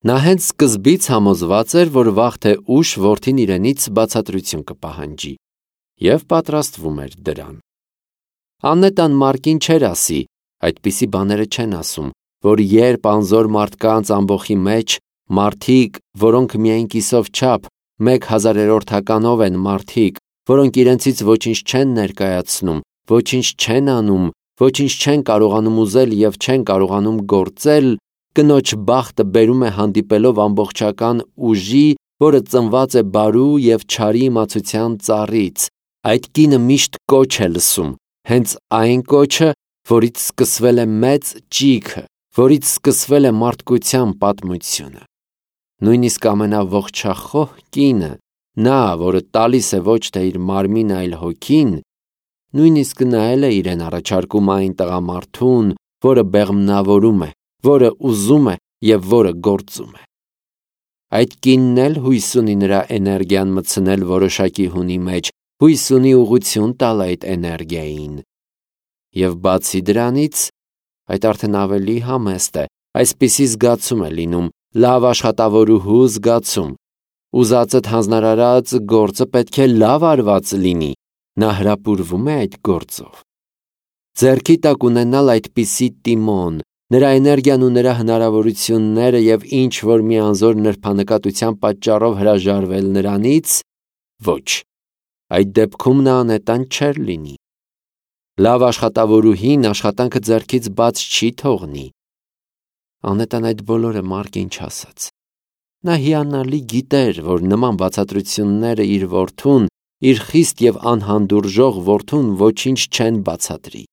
Նա հենց սկզբից համոզված էր, որ վաղ թե ուշ որդին իրենից բացատրություն կպահանջի, և պատրաստվում էր դրան։ Աննետան Մարկին չէր ասի, այդպիսի բաները չեն ասում, որ երբ անզոր մարդկանց ամբոխի մեջ մարդիկ, որոնք միայն կիսով չափ 1/1000-ով են մարդիկ, որոնք իրենցից ոչինչ չեն ներկայացնում, ոչինչ չեն անում, ոչինչ չեն կարողանում ուզել և չեն կարողանում գործել, կնոջ բախտը բերում է հանդիպելով ամբողջական ուժի, որը ծնված է բարու և չարի իմացության ծառից։ Այդ կինը միշտ կոչ է լսում, հենց այն կոչը, որից սկսվել է մեծ ճիգը, որից սկսվել է մարդկության պատմությունը։ Նույնիսկ ամենաողջախոհ կինը, նա, որը տալիս է ոչ թե իր մարմինը, այլ հոգին, նույնիսկ նա էլ է իրեն առաջարկում այն տղամարդուն, որը բեղմնավորում է, որը ուզում է և որը գործում է։ Այդ կինն էլ հույս ունի նրա էներգիան մտցնել որոշակի հունի մեջ, հույս ունի ուղղություն տալ այդ էներգիային։ Եվ բացի դրանից, այդ արդեն ավելի համեստ է, այսպիսի զգացում է լինում, լավ աշխատավորուհու զգացում։ Ուզածդ հանձնարարած գործը պետք է լավ արված լինի, նա հրապուրվում է այդ գործով։ Ձեռքի տակ ունենալ այդպիսի տիմոն, նրա էներգիան ու նրա հնարավորությունները և ինչ-որ մի անզոր նրբանկատության պատճառով հրաժարվել նրանից, ոչ, այդ դեպքում նա անետան չէր լինի։ Լավ աշխատավորուհին աշխատանքը ձեռքից բաց չի թողնի։ Անետան այդ բոլորը Մարկին չասաց։ Նա հիանալի գիտեր, որ նման բացատրությունները իր որդուն, իր խիստ և անհանդուրժող որդուն ոչինչ չեն բացատրի։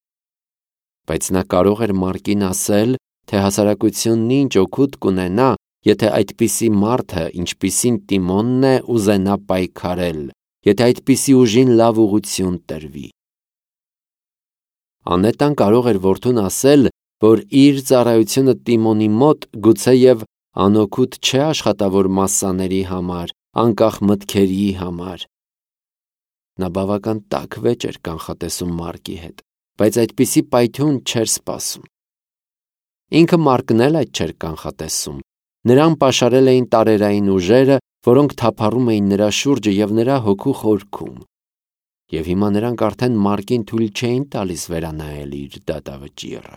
Բայց նա կարող էր Մարկին ասել, թե հասարակությունն ինչ օգուտ կունենա, եթե այդպիսի մարդը, ինչպիսին Տիմոնն է, ուզենա պայքարել, եթե այդպիսի ուժին լավ ուղղություն տրվի։ Անետան կարող էր որդուն ասել, որ իր ծառայությունը Տիմոնի մոտ գուցեև անօգուտ չէ աշխատավոր մասսաների համար, անկախ մտքերի համար։ Նա բավական տաք վեճ էր կանխատեսում Մարկի հետ, բայց այդպիսի պայթյուն չէր սպասում։ Ինքը Մարկն էլ այդ չէր կանխատեսում։ Նրան պաշարել էին տարերային ուժերը, որոնք թափառում էին նրա շուրջը և նրա հոգու խորքում։ Եվ հիմա նրանք արդեն Մարկին թույլ չէին տալիս վերանայել իր դատավճիռը։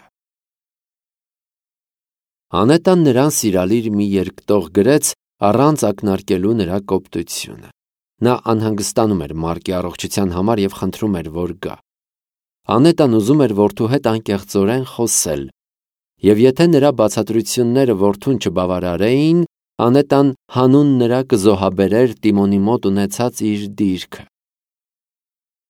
Անետան նրան սիրալիր մի երկտող գրեց առանց ակնարկելու նրա կոպտությունը։ Նա անհանգստանում էր Մարկի առողջության համար և խնդրում էր, որ գա։ Անետան ուզում էր որդու հետ անկեղծորեն խոսել, և եթե նրա բացատրությունները որդուն չբավարարեին, Անետան հանուն նրա կզոհաբերեր Տիմոնի մոտ ունեցած իր դիրքը։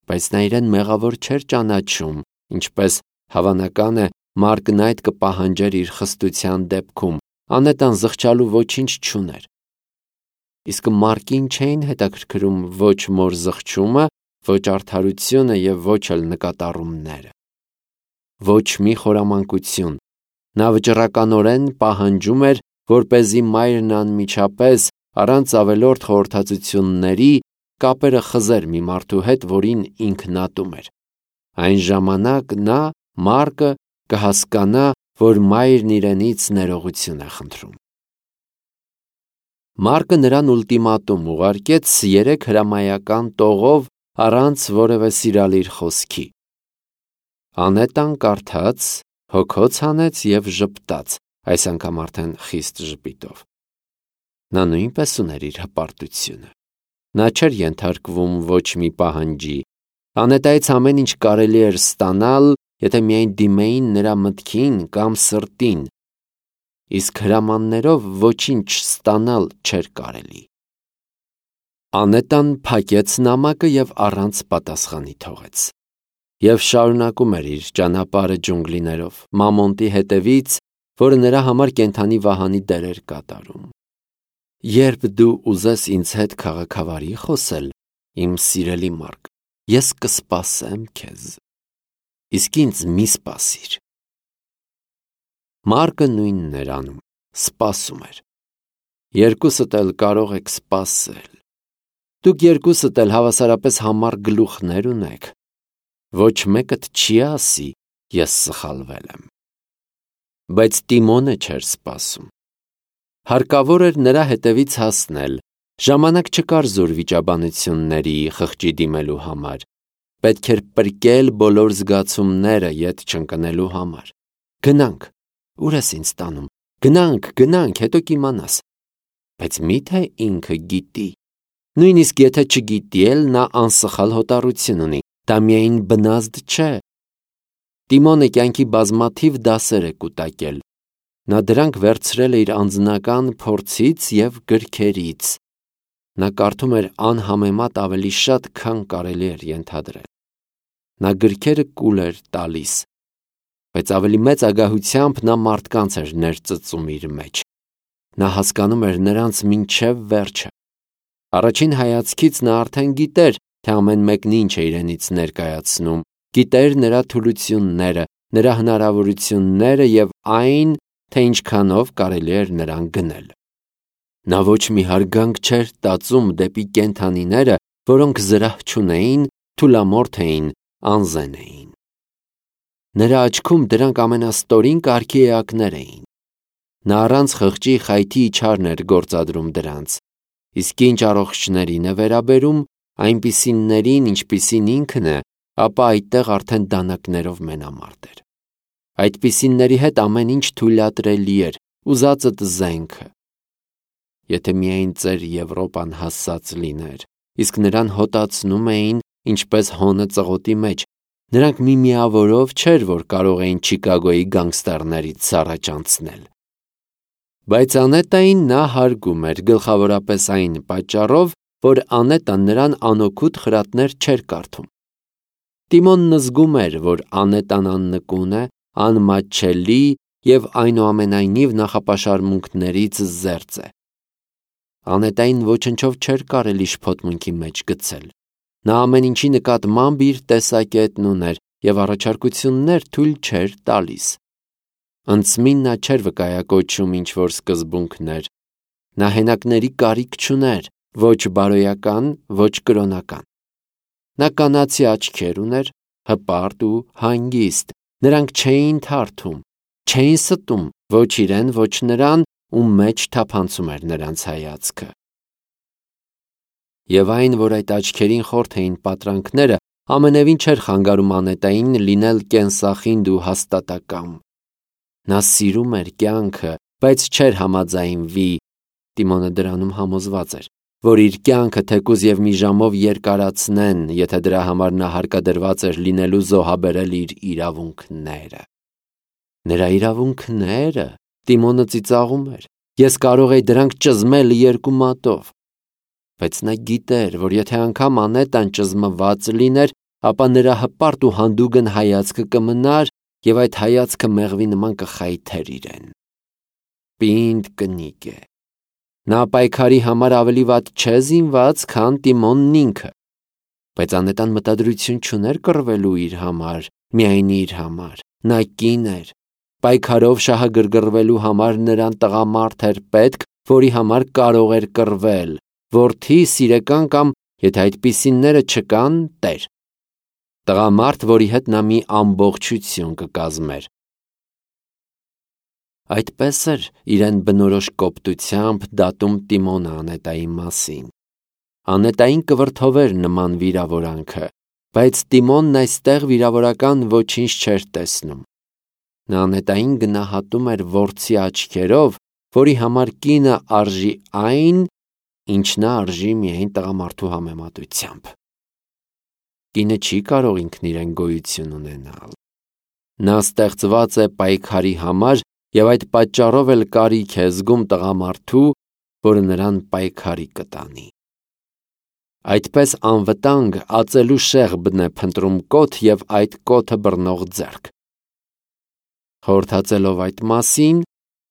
Բայց նա իրեն մեղավոր չէր ճանաչում, ինչպես հավանական է Մարկն այդ կպահանջեր իր խստության դեպքում, Անետան զղջալու ոչինչ չուներ։ Իսկ Մարկին չէին հետաքրքրում ոչ մոր զղջումը, ոչ արդարությունը և ոչ էլ նկատառումները։ Ոչ մի խորամանկություն։ Նա վճռականորեն պահանջում էր, որպեսզի մայրն անմիջապես, առանց ավելորդ խորհրդածությունների, կապերը խզեր մի մարդու հետ, որին ինքն ատում էր։ Այն ժամանակ նա, Մարկը, կհասկանա, որ մայրն իրենից ներողություն է խնդրում։ Մարկը նրան ուլտիմատում ուղարկեց 3 հրամայական տողով առանց որևէ սիրալիր խոսքի։ Անետան կարդաց, հոգոց հանեց և ժպտաց, այս անգամ արդեն խիստ ժպիտով։ Նա նույնպես ուներ իր հպարտությունը։ Նա չէր ենթարկվում ոչ մի պահանջի։ Անետայից ամեն ինչ կարելի էր ստանալ, եթե միայն դիմեին նրա մտքին կամ սրտին, իսկ հրամաններով ոչինչ ստանալ չէր կարելի։ Անետան փակեց նամակը և առանց պատասխանի թողեց։ Եվ շարունակում էր իր ճանապարհը ջունգլիներով, Մամոնտի հետևից, որը նրա համար կենդանի վահանի դեր էր կատարում։ Երբ դու ուզես ինձ հետ քաղաքավարի խոսել, իմ սիրելի Մարկ, ես կսպասեմ քեզ, իսկ ինձ մի սպասիր։ Մարկը նույնն էր անում, սպասում էր։ Երկուսդ էլ կարող եք սպասել։ Դուք երկուսդ էլ հավասարապես համառ գլուխներ ունեք։ Ոչ մեկդ չի ասի, ես սխալվել եմ։ Բայց Տիմոնը չէր սպասում։ Հարկավոր էր նրա հետևից հասնել, ժամանակ չկար զուր վիճաբանությունների, խղճի դիմելու համար, պետք էր պրկել բոլոր զգացումները ետ չընկնելու համար։ Գնանք, ուր ես ինձ տանում, գնանք, հետո կիմանաս։ Բայց միթե ինքը գիտի, նույնիսկ եթե չգիտի էլ նա անսխալ հոտառություն ունի, դա միայն բնազդ չէ։ Տիմոնը կյանքի բազմաթիվ դասեր է կուտակել, նա դրանք վերցրել է իր անձնական փորձից և գրքերից, նա կարդում էր անհամեմատ ավելի շատ, քան կարելի էր ենթադրել։ Նա գրքերը կուլ էր տալիս, բայց ավելի մեծ ագահությամբ նա մարդկանց էր ներծծում իր մեջ։ Նա հասկանում էր նրանց մինչև վերջը։ Առաջին հայացքից նա արդեն գիտեր, թե ամեն մեկն ինչ է իրենից ներկայացնում, գիտեր նրա թուլությունները, նրա հնարավորությունները և այն, թե ինչքանով կարելի էր նրան գնել։ Նա ոչ մի հարգանք չէր տածում դեպի կենդանիները, որոնք զրահ չունեին, թուլամորթ էին, անզեն էին։ Նրա աչքում դրանք ամենաստորին կարգի էակներ էին։ Նա առանց խղճի խայթի իջարն էր գործադրում դրանց, իսկ ինչ առողջներին է վերաբերում, այնպիսիներին, ինչպիսին ինքն է, ապա այդտեղ արդեն դանակներով մենամարտ էր։ Այդպիսիների հետ ամեն ինչ թույլատրելի էր, ուզածդ զենքը։ Եթե միայն ծեր Եվրոպան հասած լիներ, իսկ նրան հոտացնում էին, ինչպես հոնը ծղոտի մեջ, նրանք միմիավորով չէր, որ կարող էին Չիկագոյի գանգստերներից առաջ անցնել։ Բայց Անետային նա հարգում էր գլխավորապես այն պատճառով, որ Անետան նրան անօգուտ խրատներ չէր կարդում։ Տիմոնն զգում էր, որ Անետան աննկուն է, անմատչելի և այնուամենայնիվ նախապաշարմունքներից զերծ է։ Անետային ոչնչով չէր կարելի շփոթմունքի մեջ գցել։ Նա ամեն ինչի նկատմամբ իր տեսակետն ուներ և առաջարկություններ թույլ չէր տալիս։ Ընծմին նա չէր վկայակոչում ինչ-որ սկզբունքներ։ Նա հենակների կարիք չուներ, ոչ բարոյական, ոչ կրոնական։ Նա կանացի աչքեր ուներ, հպարտ ու հանգիստ, նրանք չէին թարթում, չէին ստում ոչ իրեն, ոչ նրան, ում մեջ թափանցում էր նրանց հայացքը։ Եվ այն, որ այդ աչքերին խորթ էին պատրանքները, ամենևին չէր խանգարում Անետային լինել կենսախինդ ու հաստատակամ։ Նա սիրում էր կյանքը, բայց չէր համաձայնվի, Տիմոնը դրանում համոզված էր, որ իր կյանքը թեկուզ և մի ժամով երկարացնեն, եթե դրա համար նա հարկադրված էր լինելու զոհաբերել իր իրավունքները։ Նրա իրավունքները, Տիմոնը ծիծաղում էր, ես կարող էի դրանք ճզմել երկու մատով։ Բայց նա գիտեր, որ եթե անգամ Անետան ճզմված լիներ, ապա նրա հպարտ ու հանդուգն հայացքը կմնար և այդ հայացքը մեղվի նման կխայթեր իրեն։ Պինդ կնիկ է։ Նա պայքարի համար ավելի վատ չէ զինված, քան Տիմոնն ինքը։ Բայց Անետան մտադրություն չուներ կռվելու իր համար, միայն իր համար։ Նա կին էր։ Պայքարով շահագրգռվելու համար նրան տղամարդ էր պետք, որի համար կարող էր կռվել, որդի, սիրեկան կամ, եթե այդպիսիները չկան, տեր։ Տղամարդ, որի հետ նա մի ամբողջություն կկազմեր։ Այդպես էր իրեն բնորոշ կոպտությամբ դատում Տիմոնը Անետայի մասին։ Անետային կվրդովեր նման վիրավորանքը, բայց Տիմոնն այստեղ վիրավորական ոչինչ չէր տեսնում։ Նա Անետային գնահատում էր որցի աչքերով, որի համար կինը արժի այն, ինչ նա արժի միայն տղամարդու համեմատությամբ։ Կինը չի կարող ինքն իրեն գոյություն ունենալ։ Նա ստեղծված է պայքարի համար և այդ պատճառով էլ կարիք է զգում տղամարդու, որը նրան պայքարի կտանի։ Այդպես անվտանգ ածելու շեղբն է փնտրում կոթ և այդ կոթը բռնող ձեռք։ Խորհրդածելով այդ մասին,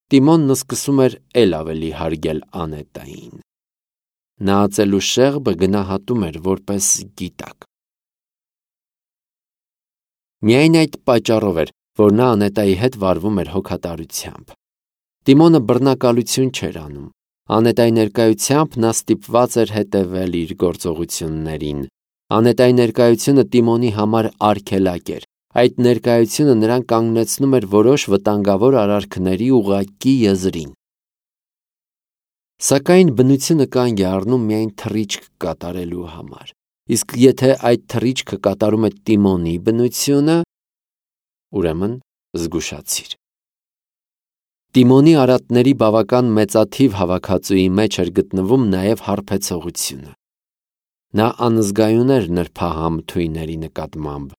Տիմոնն սկսում էր էլ ավելի հարգել Անետային։ Նա ածելու շեղբը գնահատում էր որպես գիտակ։ Միայն այդ պատճառով էր, որ նա Անետայի հետ վարվում էր հոգատարությամբ։ Տիմոնը բռնակալություն չէր անում։ Անետայի ներկայությամբ նա ստիպված էր հետևել իր գործողություններին։ Անետայի ներկայությունը Տիմոնի համար արգելակ էր։ Այդ ներկայությունը նրան կանգնեցնում էր որոշ վտանգավոր արարքների ուղղակի եզրին։ Սակայն բնությունը կանգ է առնում միայն թռիչք կատարելու համար։ Իսկ եթե այդ թռիչքը կատարում է Տիմոնի բնությունը, ուրեմն զգուշացիր։ Տիմոնի արատների բավական մեծաթիվ հավաքածուի մեջ էր գտնվում նաև հարբեցողությունը։ Նա անզգայուն էր նրբահամ թույների նկատմամբ։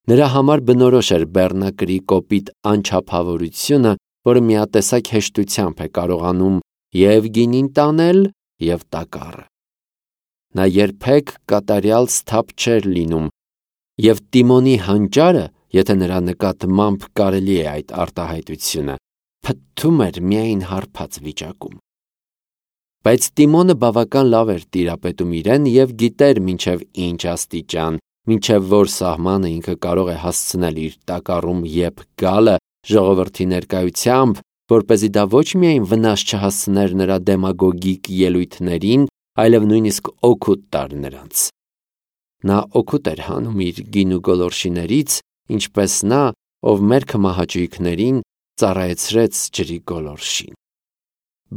Նրա համար բնորոշ էր բեռնակրի կոպիտ անչափավորությունը, որը միատեսակ հեշտությամբ է կարողանում և գինին տանել, և տակառը։ Նա երբեք կատարյալ սթափ չէր լինում, և Տիմոնի հանճարը, եթե նրա նկատմամբ կարելի է այդ արտահայտությունը, փթթում էր միայն հարբած վիճակում։ Բայց Տիմոնը բավական լավ էր տիրապետում իրեն և գիտեր մինչև ինչ աստիճան, մինչև որ սահմանը ինքը կարող է հասցնել իր տակառում եփ գալը ժողովրդի ներկայությամբ, որպեսզի դա ոչ միայն վնաս չհասցներ նրա դեմագոգիկ ելույթներին, այլև նույնիսկ օգուտ տար նրանց։ Նա օգուտ էր հանում իր գինու գոլորշիներից, ինչպես նա, ով մերքը մահաճույքներին ծառայեցրեց ջրի գոլորշին։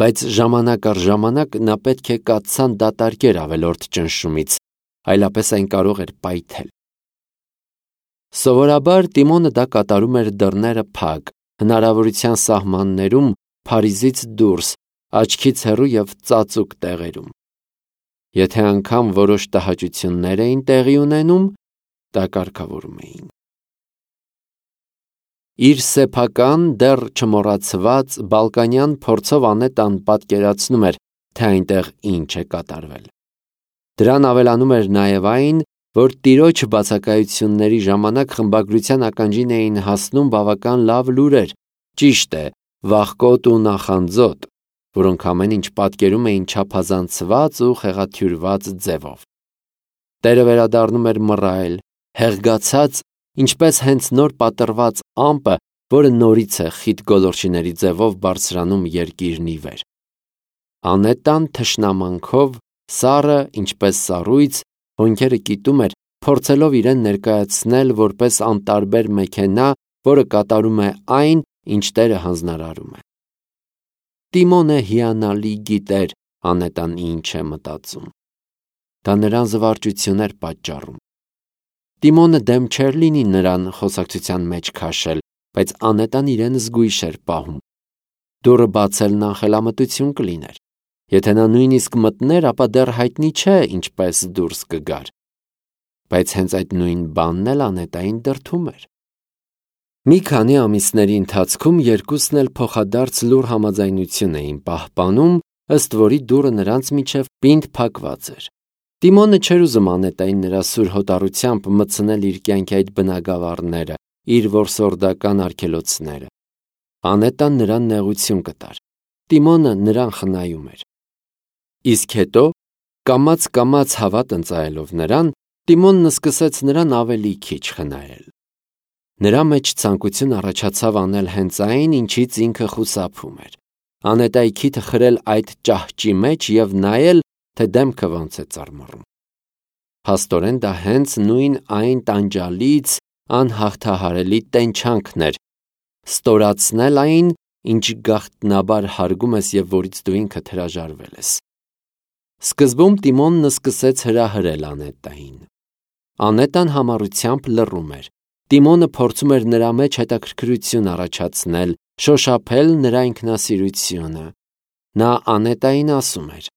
Բայց ժամանակ առ ժամանակ նա պետք է կաթսան դատարկեր ավելորդ ճնշումից, այլապես այն կարող էր պայթել։ Սովորաբար Տիմոնը դա կատարում էր դռները փակ, հնարավորության սահմաններում, Փարիզից դուրս, աչքից հեռու և ծածուկ տեղերում։ Եթե անգամ որոշ տհաճություններ էին տեղի ունենում, դա կարգավորում էին։ Իր սեփական, դեռ չմոռացված բալկանյան փորձով Անետան պատկերացնում էր, թե այնտեղ ինչ է կատարվել։ Դրան ավելանում էր նաև այն, որ տիրոջ բացակայությունների ժամանակ խմբագրության ականջին էին հասնում բավական լավ լուրեր, ճիշտ է, վախկոտ ու նախանձոտ, որոնք ամեն ինչ պատկերում էին չափազանցված ու խեղաթյուրված ձևով։ Տերը վերադառնում էր մռայլ, հեղգացած, ինչպես հենց նոր պատռված ամպը, որը նորից է խիտ գոլորշիների ձևով բարձրանում երկիրն ի վեր։ Անետան թշնամանքով, սառը, ինչպես սառույց, հոնքերը կիտում էր, փորձելով իրեն ներկայացնել որպես անտարբեր մեքենա, որը կատարում է այն, ինչ Տերը հանձնարարում է։ Տիմոնը հիանալի գիտեր Անետան ինչ է մտածում։ Դա նրան զվարճություն էր պատճառում։ Տիմոնը դեմ չէր լինի նրան խոսակցության մեջ քաշել, բայց Անետան իրեն զգույշ էր պահում։ Դուռը բացելն անխելամտություն կլիներ։ Եթե նա նույնիսկ մտներ, ապա դեռ հայտնի չէ ինչպես դուրս կգար։ Բայց հենց այդ նույն բանն էլ Անետային դրդում էր։ Մի քանի ամիսների ընթացքում երկուսն էլ փոխադարձ լուռ համաձայնություն էին պահպանում, ըստ որի դուռը նրանց միջև պինդ փակված էր։ Տիմոնը չէր ուզում Անետային նրա սուր հոտառությամբ մտցնել իր կյանքի այդ բնագավառները, իր որսորդական արգելոցները։ Անետան նրան նեղություն կտար։ Տիմոնը նրան խնայում էր։ Իսկ հետո, կամաց հավատ ընծայելով նրան, Տիմոնն սկսեց նրան ավելի քիչ խնայել։ Նրա մեջ ցանկություն առաջացավ անել հենց այն, ինչից ինքը խուսափում էր։ Անետայի քիթը խրել այդ ճահճի մեջ և նայել, թե դեմքը ոնց է ծռմռում։ Փաստորեն դա հենց նույն այն տանջալից, անհաղթահարելի տենչանքն էր, ստորացնել այն, ինչ գաղտնաբար հարգում ես և որից դու ինքդ հրաժարվել ես։ Սկզբում Տիմոնն սկսեց հրահրել Անետային։ Անետան համառությամբ լռում էր։ Տիմոնը փորձում էր նրա մեջ հետաքրքրություն առաջացնել, շոշափել նրա ինքնասիրությունը։ Նա Անետային ասում էր.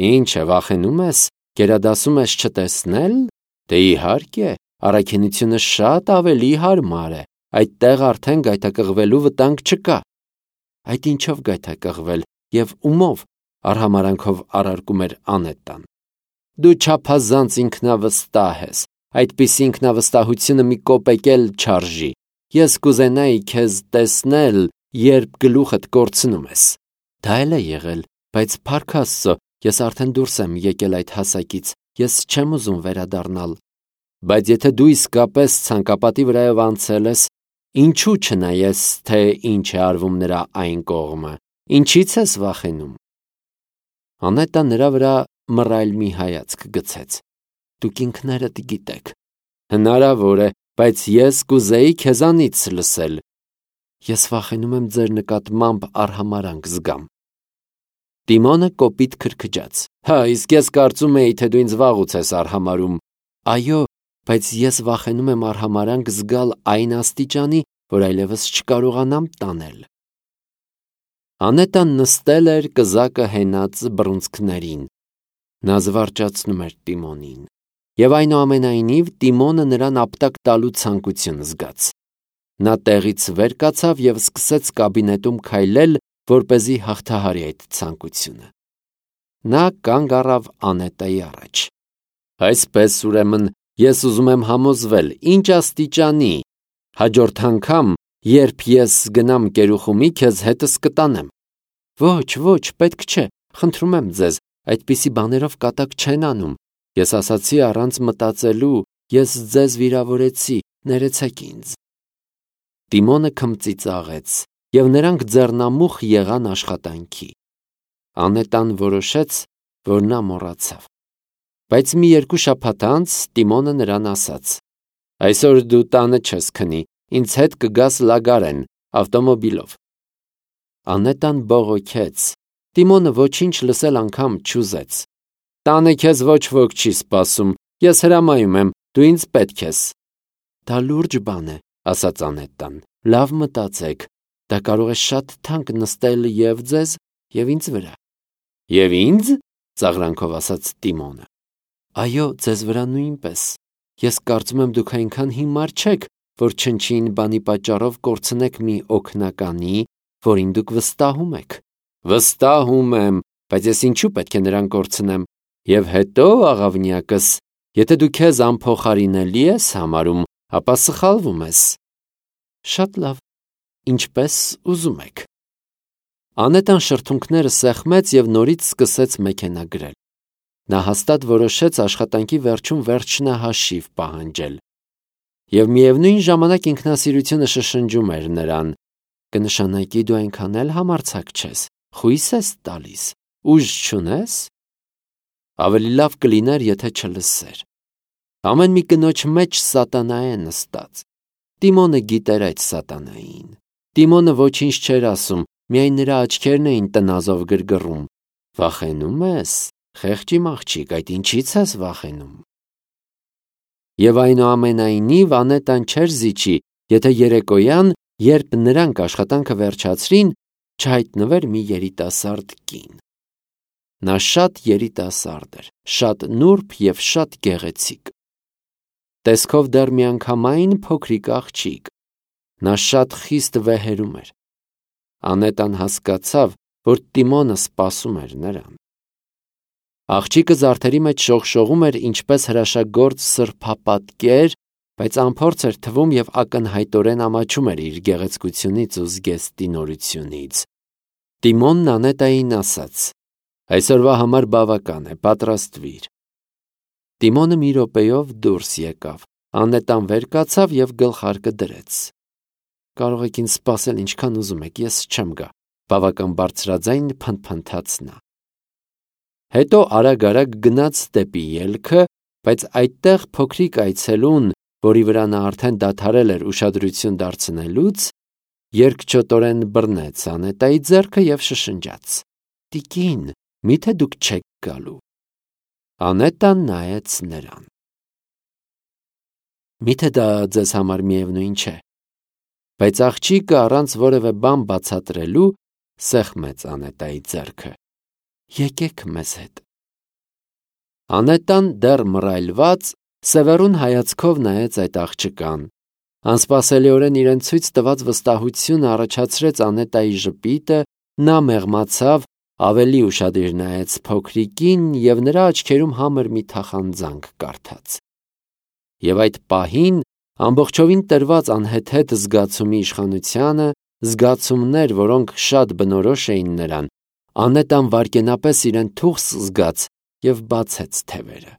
«Ինչ է, վախենում ես, գերադասում ես չտեսնել։ Դե իհարկե, առաքինությունը շատ ավելի հարմար է, այդտեղ արդեն գայթակղվելու վտանգ չկա»։ Այդ ինչով գայթակղվել և ումով, արհամարանքով առարկում էր Անետան։ Դու չափազանց ինքնավստահ ես, այդպիսի ինքնավստահությունը մի կոպեկ էլ չարժի։ Ես կուզենայի քեզ տեսնել, երբ գլուխդ կորցնում ես։ Դա էլ է եղել, բայց փառք Աստծո, ես արդեն դուրս եմ եկել այդ հասակից, ես չեմ ուզում վերադառնալ։ Բայց եթե դու իսկապես ցանկապատի վրայով անցել ես, ինչու չնայես, թե ինչ է արվում նրա այն կողմը, ինչից ես վախենում։ Անետան նրա վրա մռայլ մի հայացք գցեց։ Դուք ինքներդ գիտեք։ Հնարավոր է, բայց ես կուզեի քեզանից լսել։ Ես վախենում եմ ձեր նկատմամբ արհամարանք զգամ։ Տիմոնը կոպիտ քրքջաց. «Հա, իսկ ես կարծում էի, թե դու ինձ վաղուց ես արհամարհում»։ «Այո, բայց ես վախենում եմ արհամարանք զգալ այն աստիճանի, որ այլևս չկարողանամ տանել»։ Անետան նստել էր կզակը հենած բռունցքներին։ Նա զվարճացնում էր Տիմոնին, եւ այնուամենայնիվ Տիմոնը նրան ապտակ տալու ցանկություն զգաց։ Նա տեղից վեր կացավ եւ սկսեց կաբինետում քայլել, որպեսզի հաղթահարի այդ ցանկությունը։ Նա կանգ առավ Անետայի առաջ։ «Այսպես, ուրեմն, ես ուզում եմ համոզվել, ինչ աստիճանի, հաջորդ անգամ, երբ ես գնամ կերուխումի, քեզ հետս կտանեմ»։ Ոչ, պետք չէ, խնդրում եմ ձեզ, այդպիսի բաներով կատակ չեն անում։ Ես ասացի առանց մտածելու, ես ձեզ վիրավորեցի, ներեցեք ինձ։ Տիմոնը քմծիծաղեց, եւ նրանք ձեռնամուխ եղան աշխատանքի։ Անետան որոշեց, որ նա մոռացավ։ Բայց մի 2 շաբաթ անց Տիմոնը նրան ասաց. «Այսօր դու տանը չես քնի, ինձ հետ կգաս Լագարեն, ավտոմոբիլով»։ Անետան բողոքեց։ Տիմոնը ոչինչ լսել անգամ չուզեց։ «Տանը քեզ ոչ ոք չի սպասում, ես հրամայում եմ, դու ինձ պետք ես»։ «Դա լուրջ բան է», ասաց Անետան, «լավ մտածեք, դա կարող է շատ թանկ նստել եւ ձեզ, եւ ինձ վրա»։ «Եվ ինձ»։ ծաղրանքով ասաց Տիմոնը։ «Այո, ձեզ վրա նույնպես։ Ես կարծում եմ դուք այնքան հիմար չեք, որ չնչին բանի պատճառով կորցնեք մի օգնականի, որին դուք վստահում եք»։ «Վստահում եմ, բայց ես ինչու պետք է նրան կորցնեմ։ Եվ հետո, աղավնյակս, եթե դու քեզ անփոխարինելի ես համարում, ապա սխալվում ես»։ «Շատ լավ, ինչպես ուզում եք»։ Անետան շրթունքները սեղմեց եւ նորից սկսեց մեքենա գրել։ Նա հաստատ որոշեց աշխատանքի վերջում վերջնահաշիվ պահանջել։ Եվ միևնույն ժամանակ ինքնասիրությունը շշնջում էր նրան. «Կնշանակի դու այնքան էլ համարձակ չես, խույս ես տալիս, ուժ չունես»։ Ավելի լավ կլիներ, եթե չլսեր։ Ամեն մի կնոջ մեջ սատանա է նստած։ Տիմոնը գիտեր այդ սատանային։ Տիմոնը ոչինչ չէր ասում, միայն նրա աչքերն էին տնազով գրգռում։ «Վախենում ես, խեղճ իմ աղջիկ, այդ ինչի՞ց ես վախենում»։ Եվ այնուամենայնիվ Անետան չէր զիջի, եթե երեկոյան, երբ նրանք աշխատանքը վերջացրին, չհայտնվեր մի երիտասարդ կին։ Նա շատ երիտասարդ էր, շատ նուրբ եւ շատ գեղեցիկ։ Տեսքով դեռ միանգամայն փոքրիկ աղջիկ։ Նա շատ խիստ վեհերում էր։ Անետան հասկացավ, որ Տիմոնը սպասում էր նրան։ Աղջիկը զարդերի մեջ շողշողում էր ինչպես հրաշագործ սրբապատկեր, բայց անփորձ էր թվում եւ ակնհայտորեն ամաչում էր իր գեղեցկությունից ու զգեստի նորությունից։ Տիմոնն Անետային ասաց. «Այսօրվա համար բավական է, պատրաստվիր»։ Տիմոնը մի րոպեով դուրս եկավ։ Անետան վեր կացավ եւ գլխարկը դրեց։ «Կարող եք ինձ սպասել ինչքան ուզում եք, ես չեմ գա», բավական բարձրաձայն փնթփնթաց նա։ Հետո արագ գնաց դեպի ելքը, բայց այդտեղ փոքրիկ այցելուն, որի վրա նա արդեն դադարել էր ուշադրություն դարձնելուց, երկչոտորեն բռնեց Անետայի ձեռքը եւ շշնջաց. «Տիկին, միթե դուք չեք գալու»։ Անետան նայեց նրան։ «Միթե դա ձեզ համար միևնույն չէ»։ Բայց աղջիկը առանց որևէ բան բացատրելու սեղմեց Անետայի ձեռքը։ «Եկեք մեզ հետ»։ Անետան դեռ մռայլված սևեռուն հայացքով նայեց այդ աղջկան։ Անսպասելիորեն իրեն ցույց տված վստահությունը առաջացրեց Անետայի ժպիտը, նա մեղմացավ, ավելի ուշադիր նայեց փոքրիկին եւ նրա աչքերում համր մի թախանձանք կարդաց։ Եվ այդ պահին ամբողջովին տրված անհեթեթ զգացումի իշխանությանը, զգացումներ, որոնք շատ բնորոշ էին նրան, Անետան վայրկենապես իրեն թուխս զգաց եւ բացեց թևերը։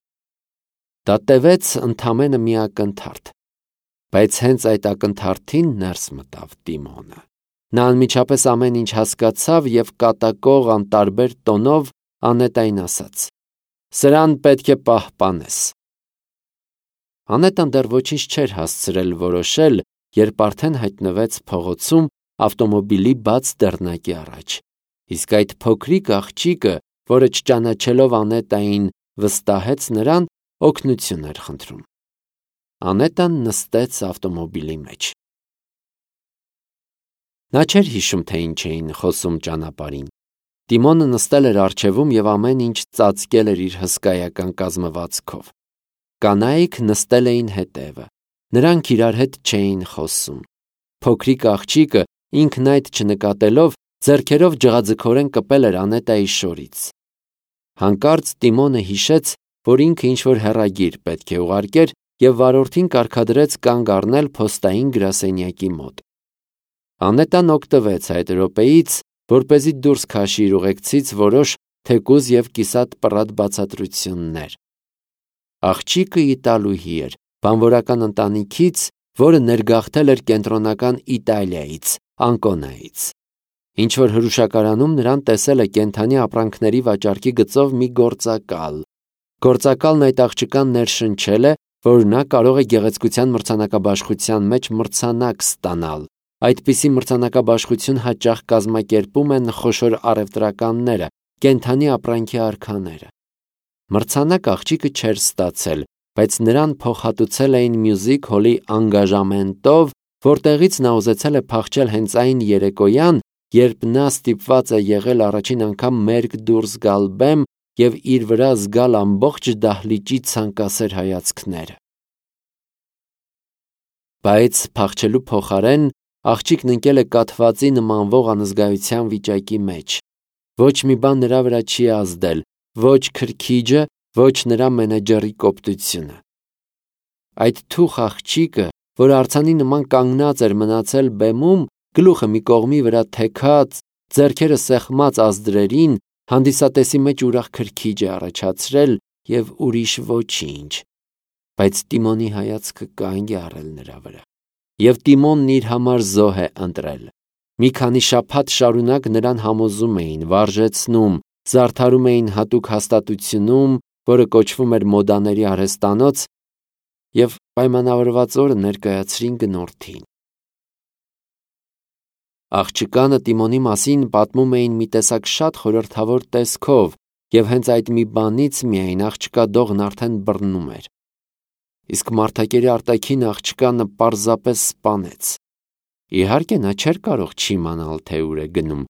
Դա տևեց ընդամենը մի ակնթարթ, բայց հենց այդ ակնթարթին ներս մտավ Տիմոնը։ Նա անմիջապես ամեն ինչ հասկացավ եւ կատակող անտարբեր տոնով Անետային ասաց. «Սրան պետք է պահպանես»։ Անետան դեռ ոչինչ չէր հասցրել որոշել, երբ արդեն հայտնվեց փողոցում ավտոմոբիլի բաց դռնակի առաջ Իսկ այդ փոքրիկ աղջիկը, որը չճանաչելով Անետային, վստահեց նրան, օգնություն էր խնդրում։ Անետան նստեց ավտոմոբիլի մեջ։ Նա չէր հիշում, թե ինչ էին խոսում ճանապարհին։ Տիմոնը նստել էր առջևում և ամեն ինչ ծածկել էր իր հսկայական կազմվածքով։ Կանայք նստել էին հետևը։ Նրանք իրար հետ չէին խոսում։ Փոքրիկ աղջիկը, ինքն այդ չնկատելով, ձեռքերով ջղաձգորեն կպել էր Անետայի շորից։ Հանկարծ Տիմոնը հիշեց, որ ինքը ինչ-որ հեռագիր պետք է ուղարկեր և վարորդին կարգադրեց կանգ առնել փոստային գրասենյակի մոտ։ Անետան օգտվեց այդ րոպեից, որպեսզի դուրս քաշի իր ուղեկցից որոշ թեկուզ և կիսատ պռատ բացատրություններ։ Աղջիկը իտալուհի էր, բանվորական ընտանիքից, որը ներգաղթել էր կենտրոնական Իտալիայից, Անկոնայից։ Ինչ-որ հրուշակարանում նրան տեսել է կենդանի ապրանքների վաճառքի գծով մի գործակալ։ Գործակալն այդ աղջկան ներշնչել է, որ նա կարող է գեղեցկության մրցանակաբաշխության մեջ մրցանակ ստանալ։ Այդպիսի մրցանակաբաշխություն հաճախ կազմակերպում են խոշոր առևտրականները, կենդանի ապրանքի արքաները։ Մրցանակ աղջիկը չէր ստացել, բայց նրան փոխհատուցել էին մյուզիք հոլի անգաժամենտով, որտեղից նա ուզեցել է փախչել հենց այն երեկոյան, երբ նա ստիպված է եղել առաջին անգամ մերկ դուրս գալ բեմ և իր վրա զգալ ամբողջ դահլիճի ցանկասեր հայացքները։ Բայց փախչելու փոխարեն աղջիկն ընկել է կաթվածի նմանվող անզգայության վիճակի մեջ։ Ոչ մի բան նրա վրա չի ազդել, ոչ քրքիջը, ոչ նրա մենեջերի կոպտությունը։ Այդ թուխ աղջիկը, որ արձանի նման կանգնած էր մնացել բեմում, գլուխը մի կողմի վրա թեքած, ձեռքերը սեղմած ազդրերին, հանդիսատեսի մեջ ուրախ քրքիջ է առաջացրել և ուրիշ ոչինչ։ Բայց Տիմոնի հայացքը կանգ է առել նրա վրա։ Եվ Տիմոնն իր համար զոհ է ընտրել։ Մի քանի շաբաթ շարունակ նրան համոզում էին, վարժեցնում, զարդարում էին հատուկ հաստատությունում, որը կոչվում էր մոդաների արհեստանոց, և պայմանավորված օրը ներկայացրին գնորդին։ Աղջկանը Տիմոնի մասին պատմում էին մի տեսակ շատ խորհրդավոր տեսքով, և հենց այդ մի բանից միայն աղջկա դողն արդեն բռնում էր։ Իսկ մարդակերի արտաքին աղջկանը պարզապես սպանեց։ Իհարկե, նա չէր կարող չիմանալ, թե ուր է գնում,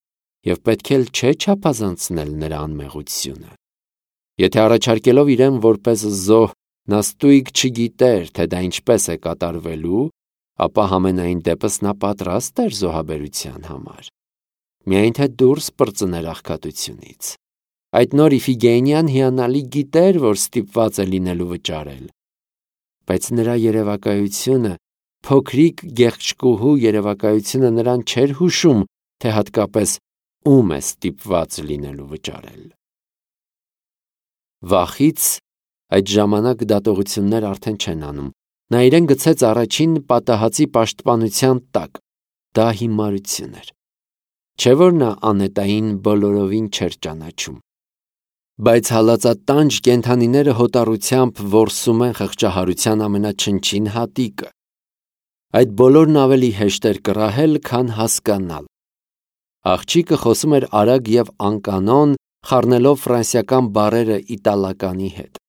և պետք էլ չէ չափազանցնել նրա անմեղությունը։ Եթե առաջարկելով իրեն որպես զոհ, նա ստույգ չգիտեր, թե դա ինչպես է կատարվելու, ապա համենայն դեպս նա պատրաստ էր զոհաբերության համար։ Միայն թե դուրս պրծներ աղքատությունից։ Այդ նոր Իֆիգենիան հիանալի գիտեր, որ ստիպված է լինելու վճարել։ Բայց նրա երևակայությունը, փոքրիկ գեղեցկուհու երևակայությունը նրան չէր հուշում, թե հատկապես ում է ստիպված լինելու վճարել։ Վախից այդ ժամանակ դատողություններ արդեն չեն անում։ Նա իրեն գցեց առաջին պատահածի պաշտպանության տակ։ Դա հիմարություն էր։ Չէ՞ որ նա Անետային բոլորովին չէր ճանաչում։ Բայց հալածատանջ կենդանիները հոտառությամբ որսում են խղճահարության ամենաչնչին հատիկը։ Այդ բոլորն ավելի հեշտ էր կռահել, քան հասկանալ։ Աղջիկը խոսում էր արագ և անկանոն, խառնելով ֆրանսիական բառերը իտալականի հետ։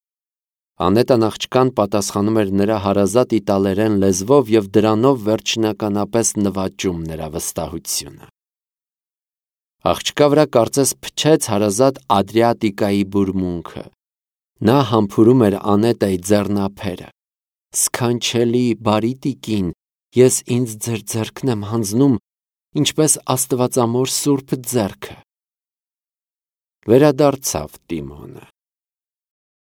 Անետան աղջկան պատասխանում էր նրա հարազատ իտալերեն լեզվով և դրանով վերջնականապես նվաճում նրա վստահությունը։ Աղջկա վրա կարծես փչեց հարազատ Ադրիատիկայի բուրմունքը։ Նա համբուրում էր Անետայի ձեռնափերը։ Սքանչելի, բարի տիկին, ես ինձ ձեր ձեռքն եմ հանձնում, ինչպես աստվածամոր սուրբ ձեռքը։ Վերադարձավ Տիմոնը։